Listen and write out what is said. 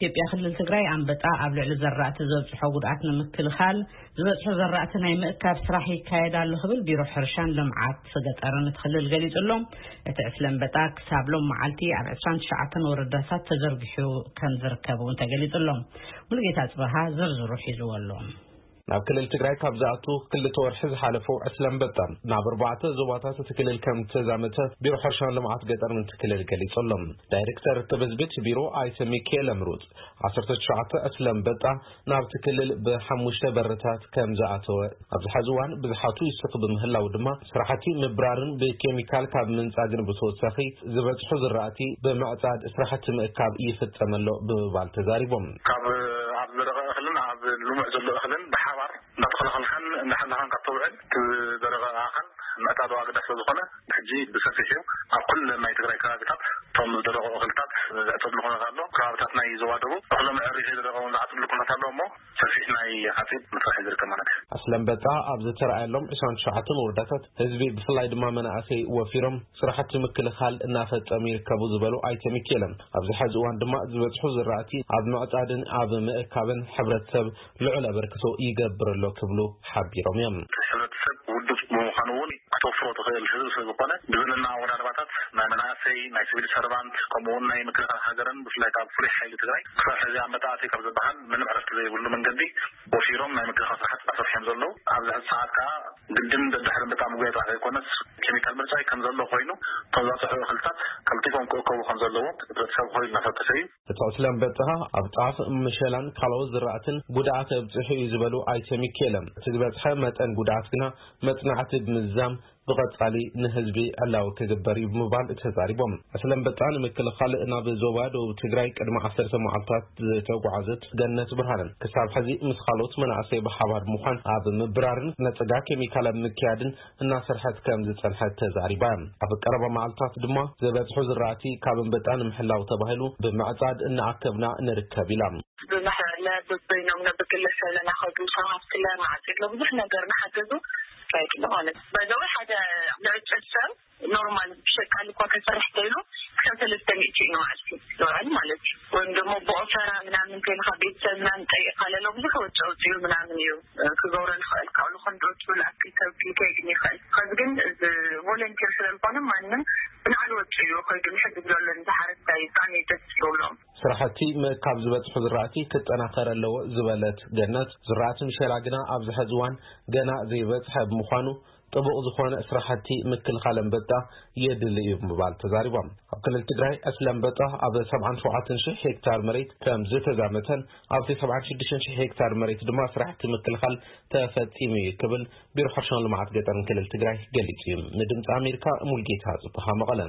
ኢትዮጵያ ክልል ትግራይ ኣንበጣ ኣብ ልዕሊ ዘራእቲ ዘብፅሖ ጉድኣት ንምክልኻል ዝበፅሑ ዘራእቲ ናይ ምእካብ ስራሕ ይካየድ ኣሎ ክብል ቢሮ ሕርሻን ልምዓት ገጠርን እቲ ክልል ገሊጹ ኣሎ። እቲ ዕስለ ኣንበጣ ክሳብ ሎም መዓልቲ ኣብ ዕስራን ትሽዓተን ወረዳታት ተዘርጊሑ ከም ዝርከብ እውን ተገሊጹ ኣሎ። ሙሉጌታ ጽበሃ ዝርዝሩ ሒዝዎ ኣሎ። ናብ ክልል ትግራይ ካብ ዝኣቱ ክልተ ወርሒ ዝሓለፉ ዕስለ ኣንበጣ ናብ ኣርባዕተ ዞባታት እቲ ክልል ከም ዝተዛመተ ቢሮ ሕርሻን ልምዓት ገጠርን እቲ ክልል ገሊጹ ኣሎ። ዳይሬክተር ትብዝብት ቢሮ ኣይተ ሚካኤል ኣምሩፅ ዓሰርተ ትሽዓተ ዕስለ ኣንበጣ ናብቲ ክልል ብሓሙሽተ በርታት ከም ዝኣተወ ኣብዚ ሐዚ እዋን ብዝሓቱ ይስኽ ብምህላው ድማ ስራሕቲ ምብራርን ብኬሚካል ካብ ምንጻግን ብተወሳኺ ዝበጽሑ ዝራእቲ ብምዕጻድ ስራሕቲ ምእካብ ይፍጸም ኣሎ ብምባል ተዛሪቦም። ካብ ኣብ ዝደረቐ እኽልን ኣብ ልሙዕ ዘሎ እኽልን ብሓባር እንዳተኸላኸልካን እንዳሓለኻን ካብ ተውዕል እቲ ዝደረቐ ኣኻል ምዕጻድ ኣገዳሲ ስለ ዝኾነ ሕጂ ብሰፊሕ እዩ ኣብ ኩለን ናይ ትግራይ ከባቢታት እቶም ዝደረቑ እኽልታት ዝዕጸድሉ ኩነታት ኣሎ። ከባቢታት ናይ ዞባ ደቡብ እኽሎም ዕሪፊ ዝደረቐ እውን ዝዓጽድሉ ኩነታት ኣሎ እሞ ሰፊሕ ናይ ሓፂድ መስርሕ ዝርከብ ማለት እዩ። ዕስለ ኣንበጣ ኣብ ዝተረኣየሎም ዕስራን ትሽዓተን ወረዳታት ህዝቢ ብፍላይ ድማ መናእሰይ ወፊሮም ስራሕቲ ምክልኻል እናፈጸሙ ይርከቡ ዝበሉ ኣይተ ሚካኤል ኣብዚ ሐዚ እዋን ድማ ዝበጽሑ ዝራእቲ ኣብ ምዕጻድን ኣብ ምእካብን ሕብረተሰብ ልዑል ኣበርክቶ ይገብር ኣሎ ክብሉ ሓቢሮም እዮም። ሕብረተሰብ ውዱብ ብምዃኑ እውን ክተፍሮ ትኽእል ህዝቢ ስለ ዝኾነ ብዘለና ኣወዳድባታት ናይ መናእሰይ ናይ ሲቪል ሰርቫንት ከምኡ እውን ናይ ምክልኻል ሃገርን ብፍላይ ካብ ፍሉይ ሓይሊ ትግራይ ክሳብ ሕዚ ኣንበጣ ኣትዩ ካብ ዝበሃል ምንም ዕረፍቲ ዘይብሉ መንገዲ ወፊሮም ናይ ምክልኻል ስራሕቲ እናሰርሑ እዮም ዘለዉ። ኣብዚ ሕዚ ሰዓት ከዓ ግድን ደድሕሪ ኣንበጣ ምጉያይ ጥራሕ ዘይኮነስ ኬሚካል ምርጫ ከም ዘሎ ኮይኑ እቶም ዝበፅሑ እኽልታት ቀልጢፎም ክእከቡ ከም ዘለዎም ሕብረተሰብ ኮይኑ እናፈተሸ እዩ። እቲ ዕስለ ኣንበጣ ኣብ ጣፍ፣ ምሸላን ካልኦት ዝራእትን ጉድኣት ኣብፂሑ እዩ ዝበሉ ኣይተ ሚካኤል እቲ ዝበፅሐ መጠን ጉድኣት ግና መፅናዕቲ ብምዝዛም ብቐፃሊ ንህዝቢ ዕላዊ ክግበር እዩ ብምባል ተዛሪቦም። ዕስለ ኣንበጣ ንምክልኻል ናብ ዞባ ደቡብ ትግራይ ቅድሚ ዓሰርተ መዓልታት ዝተጓዓዘት ገነት ብርሃነ ክሳብ ሕዚ ምስ ካልኦት መናእሰይ ብሓባር ብምዃን ኣብ ምብራርን ነፀጋ ኬሚካል ኣብ ምክያድን እናሰርሐት ከም ዝፀንሐት ተዛሪባ። ኣብ ቀረባ መዓልታት ድማ ዝበፅሑ ዝራእቲ ካብ ኣንበጣ ንምሕላው ተባሂሉ ብምዕፃድ እናኣከብና ንርከብ ኢላ። ብማሕበርለ በበይኖም ነብግለሰብ ለናኸዱ ሰሃፍትለ ማዓፂድሎ ብዙሕ ነገር ንሓገዙ ይካየድሎ ማለት እዩ። በዛዊ ሓደ ልዕጨት ሰብ ኖርማል ብሸቃል እኳ ከሰርሕ ተይሉ ክሳብ ሰለስተ ሚእቲ እዩ ንመዓልቲ ዝውዕል ማለት እዩ። ወይም ደግሞ ብኦፈራ ምናምን እንተይልካ ቤተሰብ ምናምን ጠይቃ ለሎ ብዙሕ ወጪ ኣውፅኡ ምናምን እዩ ክገብሮ ልኽእል ካብሉ ክንድወፅኡ ልኣክል ሰብ ሊከይድን ይኽእል። ከዚ ግን እዚ ቮለንቲር ስለዝኾነ ማንም ብናዕሊ ወፂኡ እዩ ከይዱ ንሕግዝ ዘሎ ንዝሓረስታይ ብጣዕሚ ደስ ዝብሎም። ስራሕቲ ምእካብ ዝበፅሑ ዝራእቲ ክጠናኸር ኣለዎ ዝበለት ገነት ዝራእቲ ምሸላ ግና ኣብዚ ሐዚ እዋን ገና ዘይበፅሐ ብምዃኑ ጥቡቕ ዝኾነ ስራሕቲ ምክልኻል ኣንበጣ የድሊ እዩ ብምባል ተዛሪቦም። ኣብ ክልል ትግራይ ዕስለ ኣንበጣ ኣብ ሰብዓን ሸውዓተን ሺሕ ሄክታር መሬት ከም ዝተዛመተን ኣብቲ ሰብዓን ሽዱሽተን ሺሕ ሄክታር መሬት ድማ ስራሕቲ ምክልኻል ተፈፂሙ እዩ ክብል ቢሮ ሕርሻን ልምዓት ገጠርን ክልል ትግራይ ገሊፁ እዩ። ንድምፂ ኣሜሪካ ሙልጌታ ፅቡሃ መቐለ።